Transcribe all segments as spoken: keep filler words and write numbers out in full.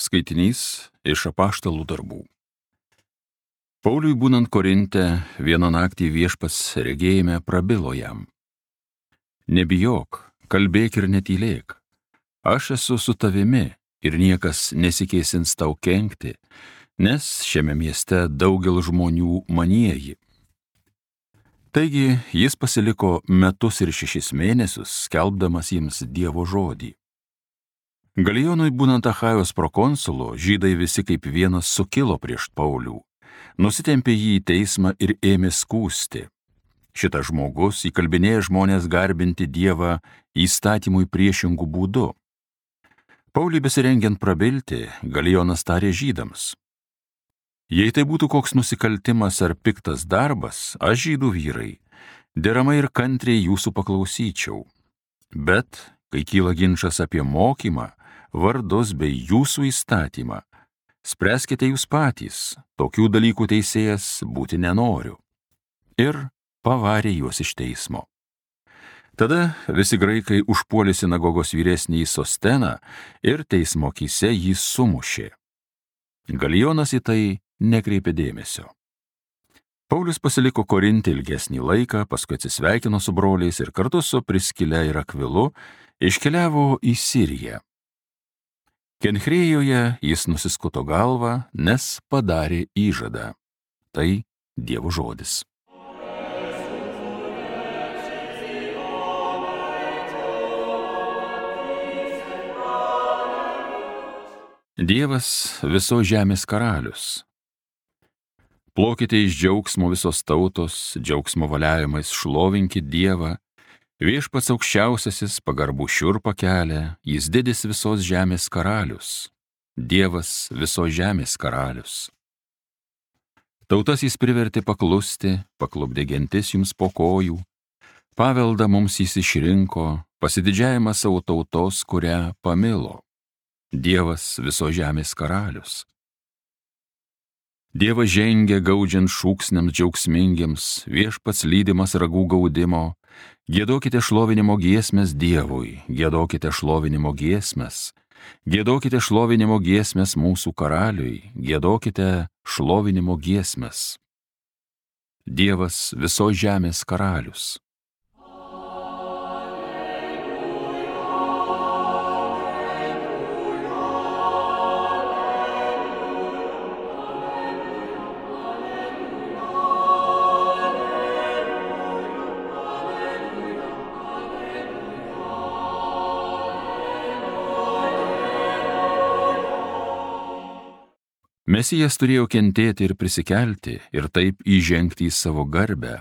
Skaitinys iš Apaštalų darbų. Pauliui būnant Korinte, vieną naktį viešpats regėjime prabilo jam: Nebijok, kalbėk ir netylėk. Aš esu su tavimi ir niekas nesikėsins tau kenkti, nes šiame mieste daugel žmonių manieji. Taigi jis pasiliko metus ir šešis mėnesius, skelbdamas jiems Dievo žodį. Galijonui būnant Achajos prokonsulu, žydai visi kaip vienas sukilo prieš Paulių, nusitempė jį į teismą ir ėmė skųsti. Šitas žmogus įkalbinėja žmonės garbinti Dievą įstatymui priešingų būdų. Pauliui besirengiant prabilti, Galijonas tarė žydams: Jei tai būtų koks nusikaltimas ar piktas darbas, aš, žydų vyrai, deramai ir kantriai jūsų paklausyčiau. Bet, kai kyla ginčas apie mokymą, vardus bei jūsų įstatymą, spręskite jūs patys, tokių dalykų teisėjas būti nenoriu. Ir pavarė juos iš teismo. Tada visi graikai užpuolė sinagogos vyresnįjį Sosteną ir teismo akyse jį sumušė. Galijonas į tai nekreipė dėmesio. Paulius pasiliko Korinte ilgesnį laiką, paskui atsisveikino su broliais ir kartu su Priskile ir Akvilu iškeliavo į Siriją. Kenchrejoje jis nusiskuto galvą, nes padarė įžadą. Tai Dievo žodis. Dievas visos žemės karalius. Plokite iš džiaugsmo visos tautos, džiaugsmo valiavimais šlovinkit Dievą. Viešpats aukščiausiasis pagarbų šiurpą kelia, jis didis visos žemės karalius. Dievas visos žemės karalius. Tautas jis privertė paklusti, paklupdė gentis jums po kojų. Paveldą mums jis išrinko, pasididžiavimą savo tautos, kurią pamilo. Dievas visos žemės karalius. Dievas žengia gaudžiant šūksniams džiaugsmingiems, viešpats lydimas ragų gaudimo. Giedokite šlovinimo giesmes Dievui, giedokite šlovinimo giesmes. Giedokite šlovinimo giesmes mūsų karaliui, giedokite šlovinimo giesmes. Dievas visos žemės karalius. Mesijas turėjo kentėti ir prisikelti ir taip įžengti į savo garbę.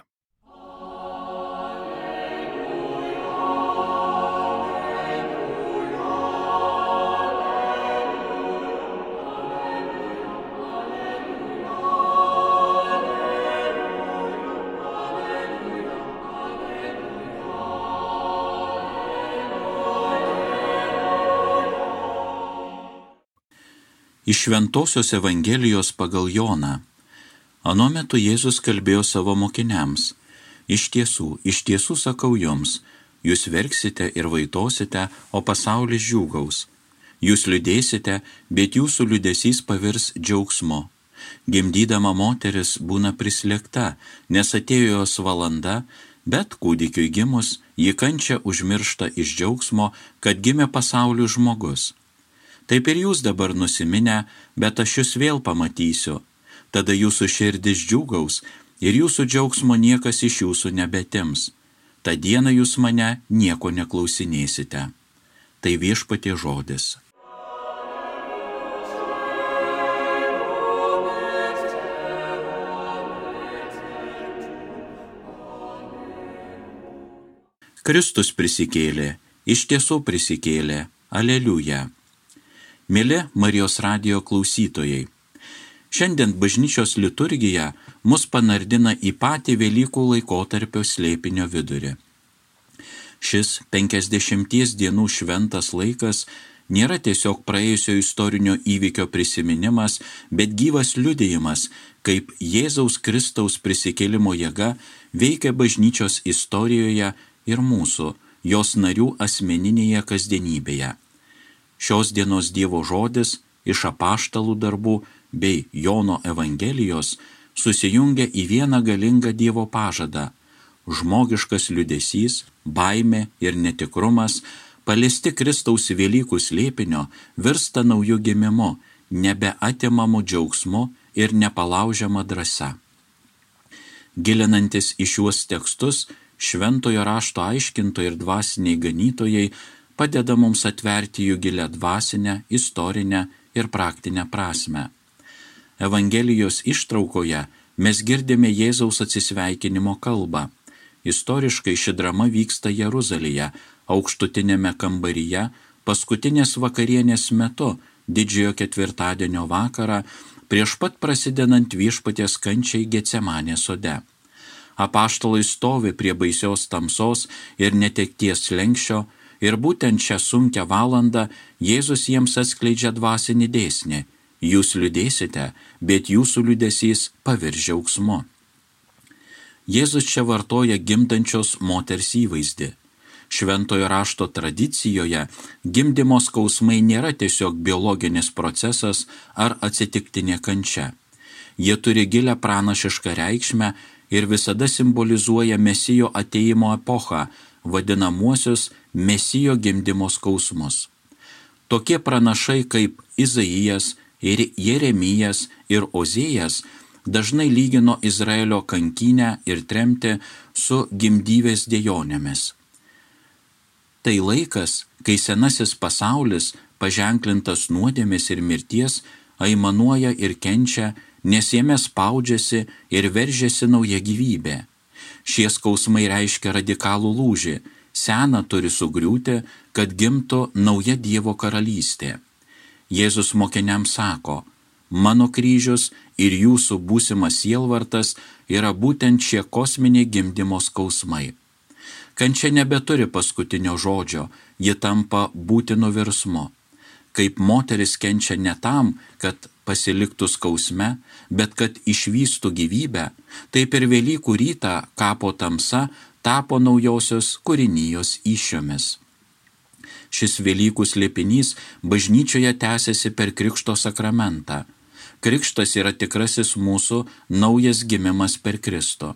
Iš Šventosios Evangelijos pagal Joną. Ano metu Jėzus kalbėjo savo mokiniams: Iš tiesų, iš tiesų sakau jums, jūs verksite ir vaitosite, o pasaulis džiūgaus. Jūs liūdėsite, bet jūsų liūdesys pavirs džiaugsmu. Gimdydama moteris būna prislėgta, nes atėjo jos valanda, bet kūdikiui gimus, ji kančią užmiršta iš džiaugsmo, kad gimė pasauliui žmogus. Taip ir jūs dabar nusiminę, bet aš jūs vėl pamatysiu. Tada jūsų širdis džiūgaus ir jūsų džiaugsmo niekas iš jūsų nebetims. Ta diena jūs mane nieko neklausinėsite. Tai Viešpaties žodis. Kristus prisikėlė, iš tiesų prisikėlė. Aleliuja. Mėly Marijos radijo klausytojai, šiandien bažnyčios liturgija mus panardina į patį Velykų laikotarpio slėpinio vidurį. Šis penkiasdešimties dienų šventas laikas nėra tiesiog praėjusio istorinio įvykio prisiminimas, bet gyvas liudijimas, kaip Jėzaus Kristaus prisikėlimo jėga veikia bažnyčios istorijoje ir mūsų, jos narių asmeninėje kasdienybėje. Šios dienos Dievo žodis iš apaštalų darbų bei Jono Evangelijos susijungia į vieną galingą Dievo pažadą. Žmogiškas liūdesys, baimė ir netikrumas, paliesti Kristaus Velykų slėpinio, virsta naujų gimimu, nebeatimamu džiaugsmu ir nepalaužiama drąsa. Gilinantis į šiuos tekstus, šventojo rašto aiškintojai ir dvasiniai ganytojai padeda mums atverti jų gilę dvasinę, istorinę ir praktinę prasmę. Evangelijos ištraukoje mes girdime Jėzaus atsisveikinimo kalbą. Istoriškai ši drama vyksta Jeruzalėje, aukštutinėme kambaryje, paskutinės vakarienės metu, didžiojo ketvirtadienio vakarą, prieš pat prasidedant viešpaties kančiai Getsemanės sode. Apaštalai stovi prie baisios tamsos ir netekties slenksčio, ir būtent šią sunkią valandą Jėzus jiems atskleidžia dvasinį dėsnį. Jūs liūdėsite, bet jūsų liūdesys pavirs džiaugsmu. Jėzus čia vartoja gimdančios moters įvaizdį. Šventojo rašto tradicijoje gimdymo skausmai nėra tiesiog biologinis procesas ar atsitiktinė kančia. Jie turi gilę pranašišką reikšmę ir visada simbolizuoja Mesijo atėjimo epochą, vadinamuosius Mesijo gimdymo skausmus. Tokie pranašai kaip Izaijas ir Jeremijas ir Ozėjas dažnai lygino Izraelio kankinę ir tremtį su gimdyvės dejonėmis. Tai laikas, kai senasis pasaulis, paženklintas nuodėmės ir mirties, aimanuoja ir kenčia, nes jame spaudžiasi ir veržiasi nauja gyvybė. Šie skausmai reiškia radikalų lūžį, sena turi sugriūti, kad gimtų nauja Dievo karalystė. Jėzus mokiniams sako, mano kryžius ir jūsų būsimas sielvartas yra būtent šie kosminiai gimdymo skausmai. Kančia nebeturi paskutinio žodžio, ji tampa būtinu virsmu. Kaip moteris kenčia ne tam, kad pasiliktų skausme, bet kad išvystų gyvybę, taip ir Velykų rytą kapo tamsa tapo naujosios kūrinijos įsčiomis. Šis Velykų slėpinys bažnyčioje tęsiasi per Krikšto sakramentą. Krikštas yra tikrasis mūsų naujas gimimas per Kristų.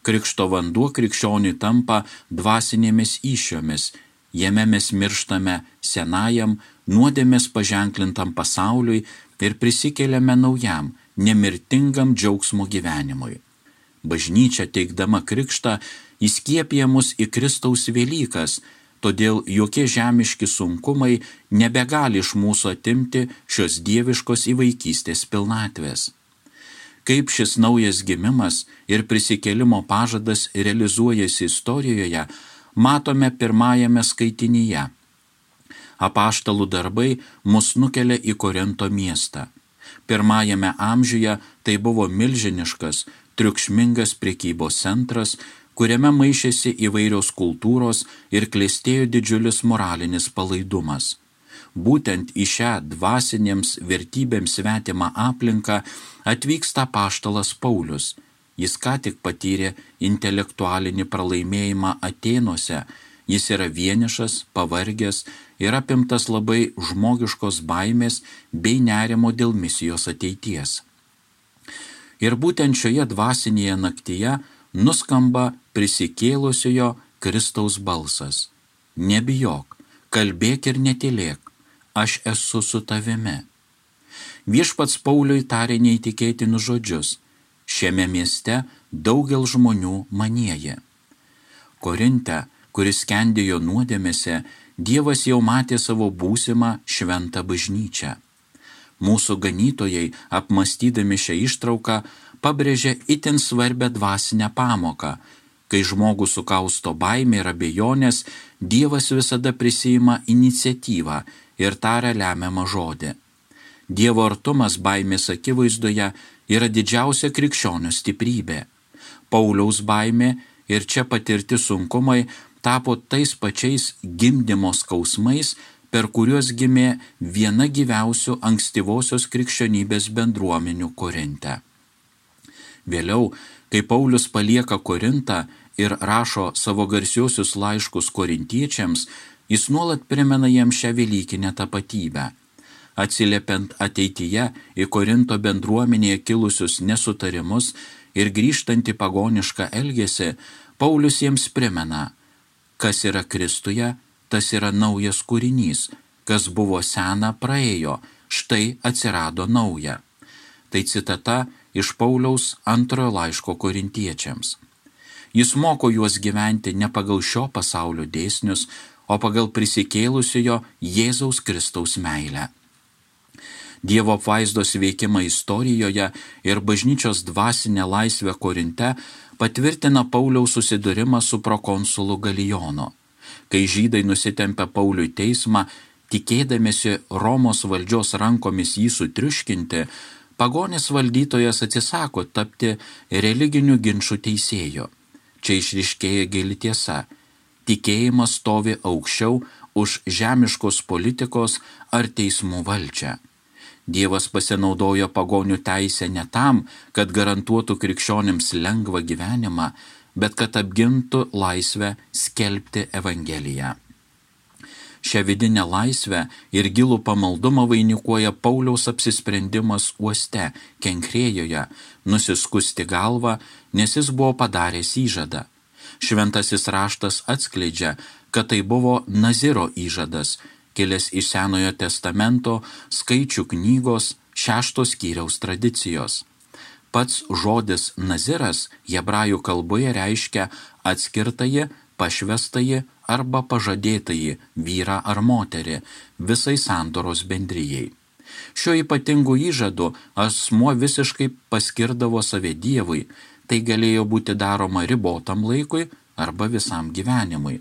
Krikšto vanduo krikščioniui tampa dvasinėmis įsčiomis, jame mes mirštame senajam, nuodėmės paženklintam pasauliui ir prisikeliame naujam, nemirtingam džiaugsmo gyvenimui. Bažnyčia teikdama krikštą įskiepija mus į Kristaus Velykas, todėl jokie žemiški sunkumai nebegali iš mūsų atimti šios dieviškos įvaikystės pilnatvės. Kaip šis naujas gimimas ir prisikėlimo pažadas realizuojasi istorijoje, matome pirmajame skaitinyje. Apaštalų darbai mus nukelia į Korinto miestą. Pirmajame amžiuje tai buvo milžiniškas, triukšmingas prekybos centras, kuriame maišėsi įvairios kultūros ir klestėjo didžiulis moralinis palaidumas. Būtent į šią dvasinėms vertybėms svetimą aplinką atvyksta apaštalas Paulius. Jis ką tik patyrė intelektualinį pralaimėjimą Atėnuose. Jis yra vienišas, pavargęs ir apimtas labai žmogiškos baimės bei nerimo dėl misijos ateities. Ir būtent šioje dvasinėje naktyje nuskamba prisikėlusiojo Kristaus balsas. Nebijok, kalbėk ir netylėk, aš esu su tavimi. Viešpats Pauliui tarė neįtikėtinus žodžius. Šiame mieste daugel žmonių manieja. Korinte, kuris skendėjo nuodėmėse, Dievas jau matė savo būsimą šventą bažnyčią. Mūsų ganytojai, apmąstydami šią ištrauką, pabrėžia itin svarbę dvasinę pamoką. Kai žmogų sukausto baimė ir abejonės, Dievas visada prisiima iniciatyvą ir taria lemiamą žodį. Dievo artumas baimės akivaizdoje yra didžiausia krikščionių stiprybė. Pauliaus baimė ir čia patirti sunkumai tapo tais pačiais gimdymo skausmais, per kuriuos gimė viena gyviausių ankstyvosios krikščionybės bendruomenių Korinte. Vėliau, kai Paulius palieka Korintą ir rašo savo garsiuosius laiškus korintiečiams, jis nuolat primena jiems šią velykinę tapatybę. Atsiliepiant ateityje į Korinto bendruomenėje kilusius nesutarimus ir grįžtant į pagonišką elgesį, Paulius jiems primena, kas yra Kristuje, tas yra naujas kūrinys, kas buvo sena praėjo, štai atsirado nauja. Tai citata iš Pauliaus antrojo laiško korintiečiams. Jis moko juos gyventi ne pagal šio pasaulio dėsnius, o pagal prisikėlusiojo Jėzaus Kristaus meilę. Dievo apvaizdos veikimą istorijoje ir bažnyčios dvasinę laisvę Korinte patvirtina Pauliaus susidūrimą su prokonsulu Galijonu. Kai žydai nusitempė Pauliui teismą, tikėdamėsi Romos valdžios rankomis jį sutriuškinti, pagonis valdytojas atsisako tapti religinių ginčų teisėju. Čia išryškėja gili tiesa. Tikėjimas stovi aukščiau už žemiškos politikos ar teismų valdžią. Dievas pasinaudojo pagonių teisę ne tam, kad garantuotų krikščionims lengvą gyvenimą, bet kad apgintų laisvę skelbti Evangeliją. Šią vidinę laisvę ir gilų pamaldumą vainikuoja Pauliaus apsisprendimas uoste, Kenkrėjoje, nusiskusti galvą, nes jis buvo padaręs įžadą. Šventasis raštas atskleidžia, kad tai buvo Naziro įžadas, kilęs iš Senojo testamento Skaičių knygos šešto skyriaus tradicijos. Pats žodis Naziras hebrajų kalboje reiškia atskirtąjį, pašvestąjį arba pažadėtąjį vyrą ar moterį visai sandoros bendrijai. Šiuo ypatingu įžadu asmuo visiškai paskirdavo save Dievui, tai galėjo būti daroma ribotam laikui arba visam gyvenimui.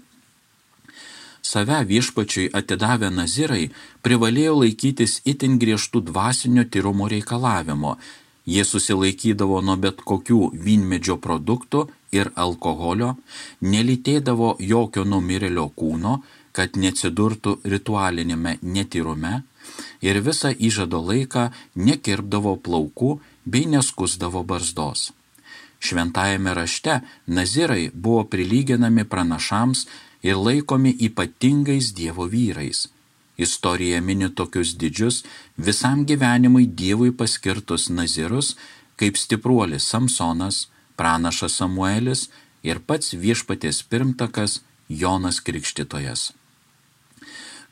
Save viešpačiui atidavę nazirai privalėjo laikytis itin griežtų dvasinio tyrumo reikalavimo. Jie susilaikydavo nuo bet kokių vynmedžio produktų ir alkoholio, nelytėdavo jokio numirėlio kūno, kad neatsidurtų ritualinėme netyrume, ir visą įžado laiką nekirpdavo plaukų bei neskusdavo barzdos. Šventajame rašte nazirai buvo prilyginami pranašams ir laikomi ypatingais Dievo vyrais. Istorija mini tokius didžius, visam gyvenimui Dievui paskirtus nazirus, kaip stipruolis Samsonas, pranašas Samuelis ir pats viešpaties pirmtakas Jonas Krikštytojas.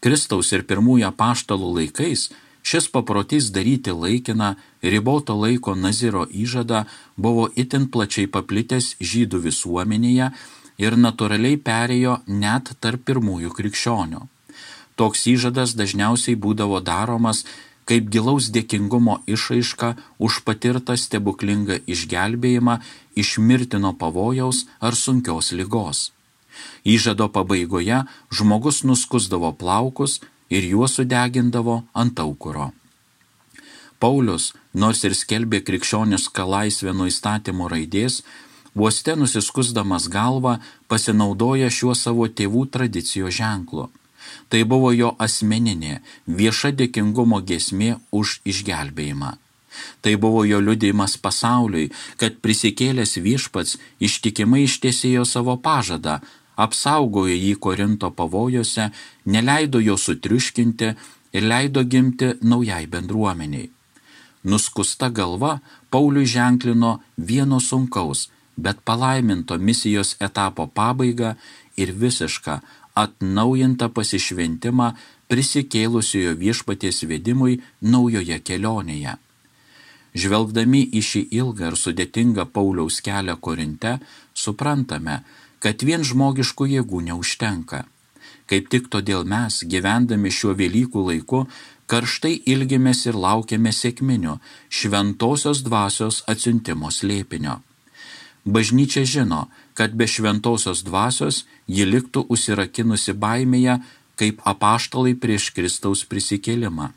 Kristaus ir pirmųjų apaštalų laikais šis paprotys daryti laikiną, riboto laiko naziro įžadą buvo itin plačiai paplitęs žydų visuomenėje ir natūraliai perėjo net tarp pirmųjų krikščionių. Toks įžadas dažniausiai būdavo daromas kaip gilaus dėkingumo išraiška už patirtą stebuklingą išgelbėjimą iš mirtino pavojaus ar sunkios ligos. Įžado pabaigoje žmogus nuskusdavo plaukus ir juos sudegindavo ant aukuro. Paulius, nors ir skelbė krikščionišką laisvę nuo įstatymo raidės, uoste nusiskusdamas galvą pasinaudoja šiuo savo tėvų tradicijos ženklu. Tai buvo jo asmeninė, vieša dėkingumo giesmė už išgelbėjimą. Tai buvo jo liudijimas pasauliui, kad prisikėlęs viešpats ištikimai ištesėjo savo pažadą, apsaugojo jį Korinto pavojose, neleido jo sutriuškinti ir leido gimti naujai bendruomeniai. Nuskusta galva Pauliui ženklino vieno sunkaus, bet palaiminto misijos etapo pabaigą ir visišką atnaujintą pasišventimą prisikėlusiojo viešpaties vedimui naujoje kelionėje. Žvelgdami į šį ilgą ir sudėtingą Pauliaus kelią Korinte, suprantame, kad vien žmogiškų jėgų neužtenka. Kaip tik todėl mes, gyvendami šiuo Velykų laiku, karštai ilgimės ir laukiame sekminių, šventosios dvasios atsiuntimo slėpinio. Bažnyčia žino, kad be šventosios dvasios ji liktų užsirakinusi baimėje, kaip apaštalai prieš Kristaus prisikėlimą.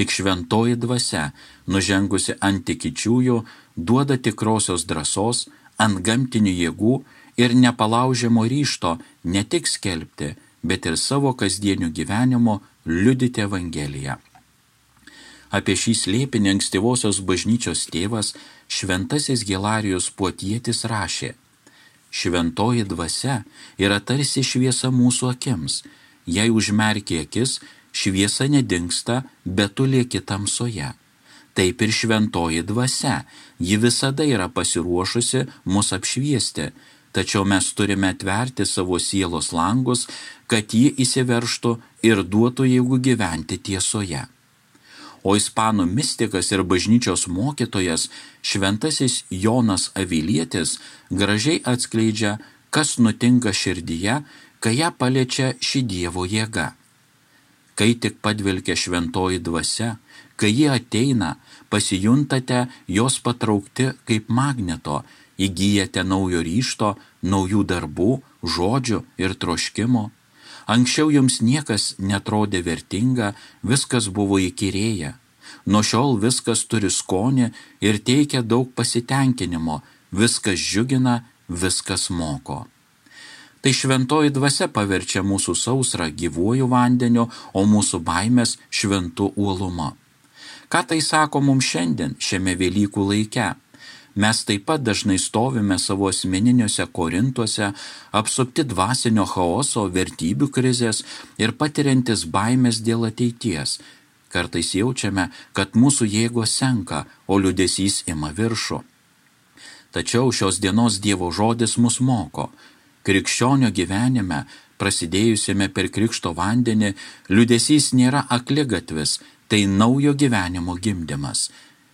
Tik šventoji dvasia, nužengusi ant tikinčiųjų, duoda tikrosios drąsos, antgamtinių jėgų ir nepalaužiamo ryžto ne tik skelbti, bet ir savo kasdieniu gyvenimu liudyti Evangeliją. Apie šį slėpinį ankstyvosios bažnyčios tėvas šventasis Hilarijus Puotietis rašė: šventoji dvasia yra tarsi šviesa mūsų akims, jei užmerki akis, šviesa nedingsta, bet tu lieki tamsoje. Taip ir šventoji dvasia, ji visada yra pasiruošusi mus apšviesti, tačiau mes turime atverti savo sielos langus, kad ji įsiveržtų ir duotų jėgų gyventi tiesoje. O ispanų mistikas ir bažnyčios mokytojas šventasis Jonas Avilietis gražiai atskleidžia, kas nutinka širdyje, kai ją paliečia ši Dievo jėga. Kai tik padvelkia šventoji dvasia, kai ji ateina, pasijuntate jos patraukti kaip magneto, įgyjate naujo ryžto, naujų darbų, žodžių ir troškimų. Anksčiau jums niekas netrodė vertinga, viskas buvo įkyrėję. Nuo šiol viskas turi skonį ir teikia daug pasitenkinimo, viskas džiugina, viskas moko. Tai šventoji dvasia paverčia mūsų sausrą gyvuoju vandeniu, o mūsų baimės šventu uolumu. Ką tai sako mums šiandien, šiame Velykų laike? Mes taip pat dažnai stovime savo asmeniniuose korintuose, apsupti dvasinio chaoso, vertybių krizės ir patiriantis baimės dėl ateities. Kartais jaučiame, kad mūsų jėgos senka, o liūdesys ima viršų. Tačiau šios dienos Dievo žodis mus moko. Krikščionio gyvenime, prasidėjusiame per krikšto vandenį, liūdesys nėra akligatvis, tai naujo gyvenimo gimdymas.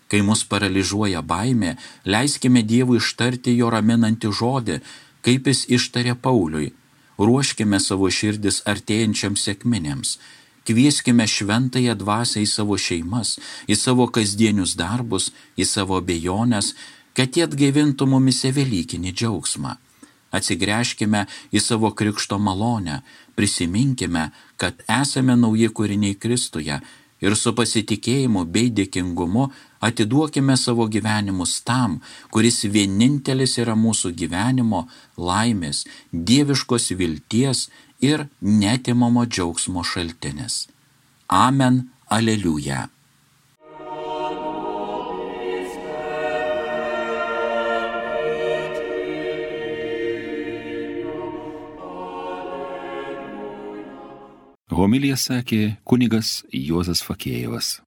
Kai mus paralyžiuoja baimė, leiskime Dievui ištarti jo raminantį žodį, kaip jis ištarė Pauliui. Ruoškime savo širdis artėjančiams sekminėms. Kvieskime šventąją dvasią į savo šeimas, į savo kasdienius darbus, į savo abejonės, kad jie atgaivintų mumise velykinį džiaugsmą. Atsigręžkime į savo krikšto malonę, prisiminkime, kad esame nauji kūriniai Kristuje ir su pasitikėjimu bei dėkingumu atiduokime savo gyvenimus tam, kuris vienintelis yra mūsų gyvenimo, laimės, dieviškos vilties ir neatimamo džiaugsmo šaltinis. Amen, aleliuja. Homiliją sakė kunigas Juozas Fakėjevas.